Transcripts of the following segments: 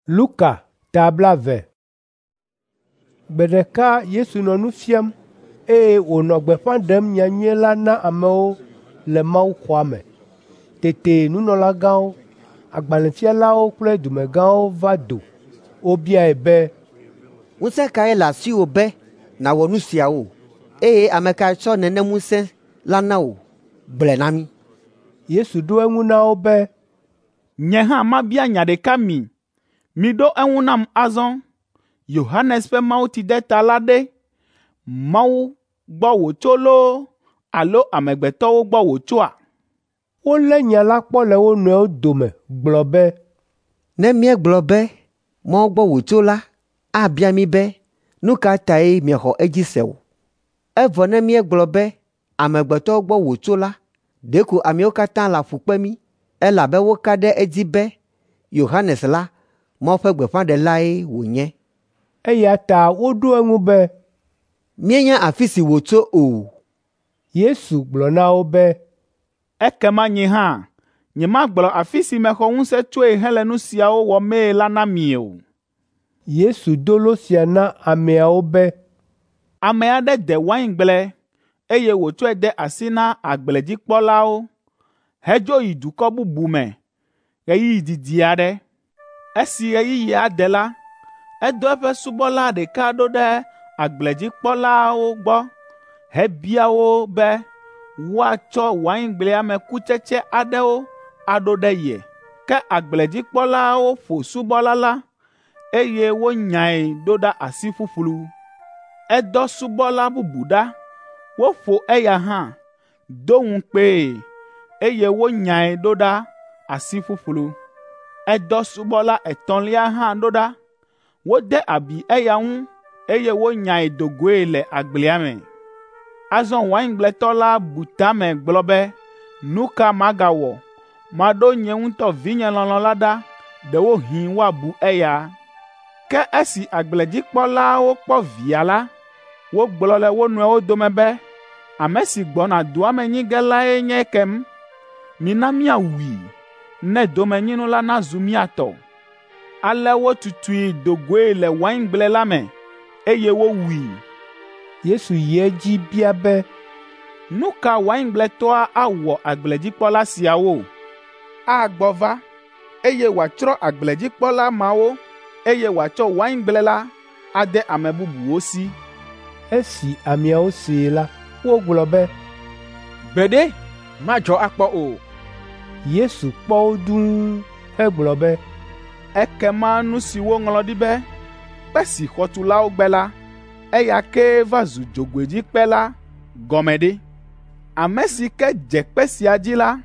Luka ta 20. Gbe ɖeka Yesu nɔ nu fiam, eye wònɔ gbeƒã ɖem nyanyui la na amewo le mawuxɔa me. Tete nunɔlagãwo, agbalẽfialawo kple dumegãwo va do. Wobiae be, “Ŋusẽ kae le asiwò be nàwɔ nu siawo? Eye ame kae tsɔ nenem ŋusẽ la na wò? Gblɔe na mí.” Yesu ɖo eŋu na wo be, “Nye hã mabia nya ɖeka mi. Miɖo eŋu nam azɔ. Yohanes ƒe mawutsideta la ɖe, Mawu gbɔ wòtso loo alo amegbetɔwo gbɔ wòtsoa?” Wolé nya la kpɔ le wo nɔewo dome gblɔ be, “Ne míegblɔ be, Mawu gbɔ wòtso la, abia mí be, ‘Nu ka tae miexɔ edzi se o?’ Evɔ ne míegblɔ be, ‘Amegbetɔwo gbɔ wòtso la,’ ɖeko ameawo katã laƒu kpe mí, elabe woka ɖe edzi be Yohanes la, Mawu ƒe gbeƒãɖelae wònye.” Eya ta woɖo eŋu be, “Míenya afi si wòtso o.” Yesu gblɔ na wo be, “Ekema nye hã nyemagblɔ afi si mexɔ ŋusẽ tsoe hele nu siawo wɔmee la na mi o.” Yesu do lo sia na ameawo be, “Ame aɖe de waingble, eye wòtsɔe de asi na agbledzikpɔlawo hedzo yi dukɔ bubu me ɣeyiɣi didi aɖe. Esi ɣeyiɣia de la, edɔ eƒe subɔla ɖeka ɖo ɖe agbledzikpɔlawo gbɔ hebia wo be woatsɔ waingblea me kutsetse aɖewo aɖo ɖe ye. Ke agbledzikpɔlawo ƒo subɔla la, eye wonyae ɖo ɖa asi ƒuƒlu. Edɔ subɔla bubu ɖa, woƒo eya hã, do ŋukpee, eye wonyae ɖo ɖa asi ƒuƒlu. Edɔ subɔla etɔ̃lia hã ɖo ɖa. Wode abi eya ŋu, eye wonyae do goe le agblea me. Azɔ waingbletɔ la bu ta me gblɔ be, ‘Nu ka magawɔ? Maɖo nye ŋutɔ vinye lɔlɔ̃ la ɖa, ɖewohĩ woabu eya.’ Ke esi agbledzikpɔlawo kpɔ via la, wogblɔ le wo nɔewo dome be, ‘Ame si gbɔna dua me nyi ge lae nye ekem. Mina míawui, ne domenyinu la nazu mía tɔ.’ Ale wotutui do goe le waingble la me, eye wowui. Yesu yi edzi bia be, “Nu ka waingbletɔa awɔ agbledzikpɔla siawo? Agbɔ va, eye wòatsrɔ̃ agbledzikpɔla mawo, eye wòatsɔ waingble la ade ame bubuwo si.” Esi ameawo see la, wogblɔ be, “Gbeɖe, madzɔ akpɔ o.” Yesu kpɔ wo dũu hegblɔ be, “Ekema nu si woŋlɔ ɖi be, ‘Kpe si xɔtulawo gbe la, eya kee va zu dzogoedzikpe la’ gɔme ɖe? Ame si ke dze kpe sia dzi la,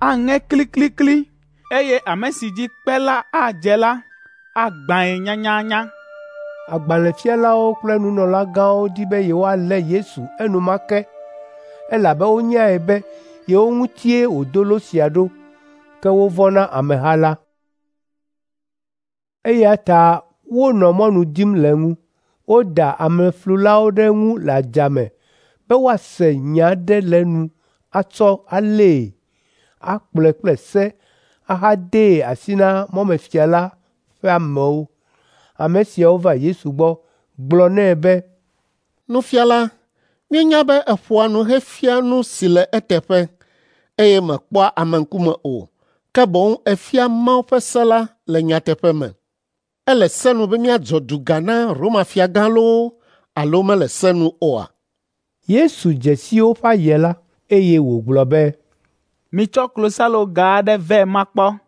aŋe kliklikli, eye ame si dzi kpe la adze la, agbãe nyanyanya.” Agbalẽfialawo kple nunɔlagãwo di be yewoalé Yesu enumake, elabe wonyae be yewo ŋutie wòdo lo sia ɖo, ke wovɔ̃ na ameha la. Eya ta wonɔ mɔnu dim le eŋu. Woda ameflulawo ɖe eŋu le adzame be woase nya aɖe le enu atsɔ alée, akplɔe kple se ahadee asi na mɔmefia la ƒe amewo. Ame siawo va Yesu gbɔ gblɔ nɛ be, “Nufiala, míenya be èƒoa nu hefiaa nu si le eteƒe, eye mèkpɔa ame ŋkume o, ke boŋ èfiaa Mawu ƒe se la le nyateƒe me. Ele se nu be míadzɔ duga na Roma fiagã loo alo mele se nu oa?” Yesu dze si woƒe aye la, eye wògblɔ be, “Mitsɔ klosaloga aɖe vɛ makpɔ.”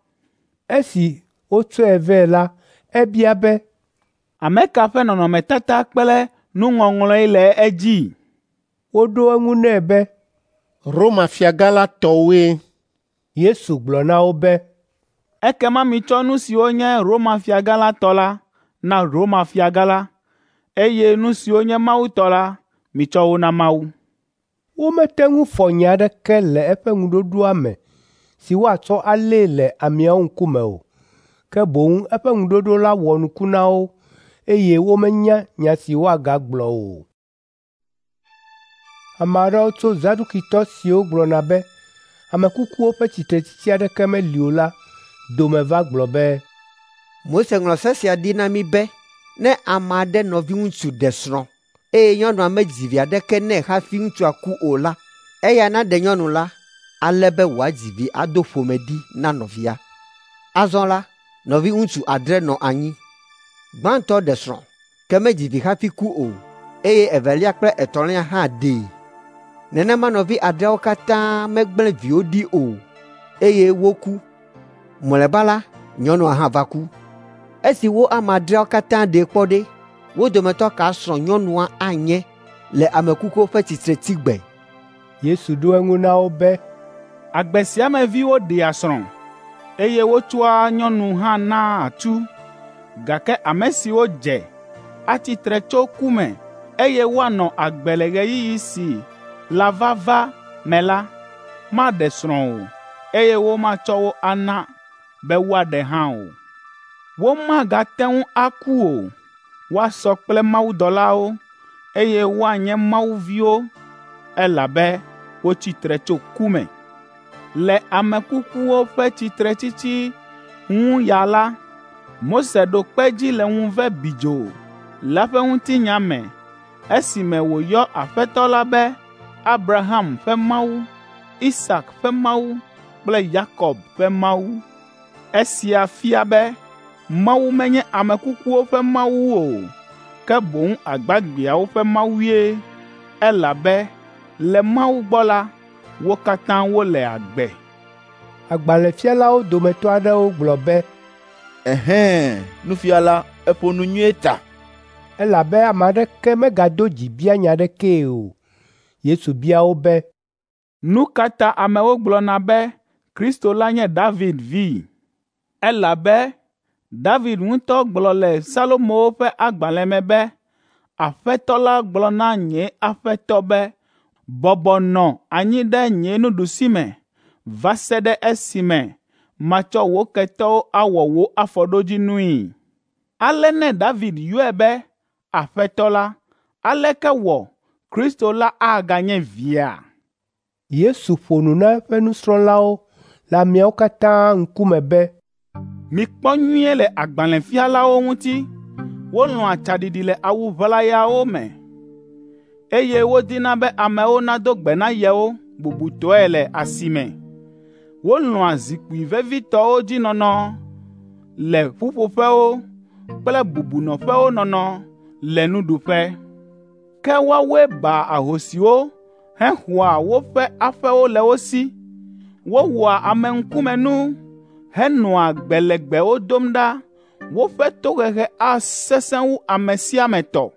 Esi wotsɔe vɛ la, ebia be, “Ame ka ƒe nɔnɔmetata kple nuŋɔŋlɔe le edzi?” Woɖo eŋu nɛ be, “Roma fiagã la tɔwoe.” Yesu gblɔ na wo be, “Ekema mitsɔ nu siwo nye Roma fiagã la tɔ la na Roma fiagã la, eye nu siwo nye Mawu tɔ la, mitsɔ wo na Mawu.” Womete ŋu fɔ nya aɖeke le eƒe ŋuɖoɖoa me si woatsɔ alée le ameawo ŋkume o, ke boŋ eƒe ŋuɖoɖo la wɔ nuku na wo, eye womenya nya si woagagblɔ o. Ame aɖewo tso Zadukitɔ siwo gblɔna be ame kukuwo ƒe tsitretsitsi aɖeke meli o la dome va gblɔ be, Mose ŋlɔ se sia ɖi na mí be ne ame aɖe nɔviŋutsu ɖe srɔ̃ eye nyɔnua medzi vi aɖeke nɛ hafi ŋutsua ku o la, eya naɖe nyɔnu la ale be wòadzi vi ado ƒome ɖi na nɔvia. Azɔ la, nɔviŋutsu adre nɔ anyi. Gbãtɔ ɖe srɔ̃, ke medzi vi hafi ku o, eye evelia kple etɔ̃lia hã ɖee. Nenema nɔvi adreawo katã megblẽ viwo ɖi o, eye woku. Mlɔeba la, nyɔnua hã va ku. Esi wo ame adreawo katã ɖee kpɔ ɖe, wo dometɔ ka srɔ̃ nyɔnua anye le ame kukuwo ƒe tsitretsigbe?” Yesu ɖo eŋu na wo be, “Agbe sia me viwo ɖea srɔ̃, eye wotsɔa nyɔnu hã naa atsu, gake ame siwo dze atsi tre tso ku me, eye woanɔ agbe le ɣeyiɣi si lava va me la, maɖe srɔ̃ o, eye womatsɔ wo ana be woaɖe hã o. Womagate ŋu aku o, woasɔ kple mawudɔlawo, eye woanye Mawu viwo, elabe wotsi tre tso ku me. Le ame kukuwo ƒe tsitretsitsi ŋu ya la, Mose ɖo kpe edzi le ŋuve bidzo la ƒe ŋutinya me esime wòyɔ Aƒetɔ la be Abraham ƒe Mawu, Isak ƒe Mawu kple Yakob ƒe Mawu. Esia fia be Mawu menye ame kukuwo ƒe Mawu o, ke boŋ agbagbeawo ƒe Mawue, elabe le Mawu gbɔ la, wo katã wole agbe.” Agbalẽfialawo dometɔ aɖewo gblɔ be, “Ɛhɛ̃, nufiala, èƒo nu nyuie ta.” Elabe ame aɖeke megado dzi bia nya aɖekee o. Yesu bia wo be, “Nu ka ta amewo gblɔna be Kristo la nye David vi? Elabe David ŋutɔ gblɔ le Salomo ƒe agbalẽ me be, ‘Aƒetɔ la gblɔ na nye Aƒetɔ be, bɔbɔ nɔ anyi ɖe nye nuɖusime va se ɖe esime matsɔ wò ketɔwo awɔ wò afɔɖodzinui.’ Ale ne David yɔe be Aƒetɔ la, aleke wɔ Kristo la aganye via?” Yesu ƒo nu na eƒe nusrɔ̃lawo le ameawo katã ŋkume be, “Mikpɔ nyuie le agbalẽfialawo ŋuti. Wolɔ̃a tsaɖiɖi le awu ʋlayawo me, eye wodina be amewo nado gbe na yewo bubutɔe le asime. Wolɔ̃a zikpui vevitɔwo dzi nɔnɔ le ƒuƒoƒewo kple bubunɔƒewo nɔnɔ le nuɖuƒe. Ke woawoe baa ahosiwo hexɔa woƒe aƒewo le wo si. Wowɔa ameŋkumenu henɔa gbe legbewo dom ɖa. Woƒe tohehe asesẽ wu ame sia ame tɔ.